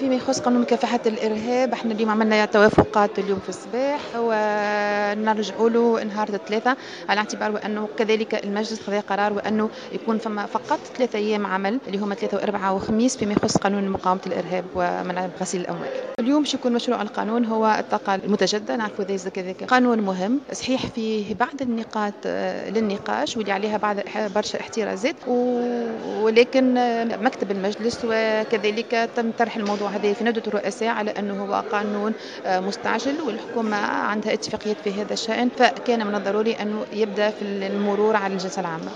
فيما يخص قانون مكافحة الإرهاب، احنا اليوم عملنا توافقات اليوم في الصباح ونرجعوا له نهار الثلاثاء، على اعتبار أنه كذلك المجلس خذا قرار وأنه يكون فما فقط 3 أيام عمل اللي هما 3 و4 وخميس فيما يخص قانون مقاومة الإرهاب ومنع غسيل الأموال. اليوم باش يكون مشروع القانون هو الطاقة المتجددة، نعرفوا كذلك قانون مهم، صحيح فيه بعض النقاط للنقاش واللي عليها بعض برشا احترازات، ولكن مكتب المجلس وكذلك تم طرح الموضوع هذا في ندوة الرؤساء على أنه هو قانون مستعجل والحكومة عندها اتفاقيات في هذا الشأن، فكان من الضروري أنه يبدأ في المرور على الجلسة العامة.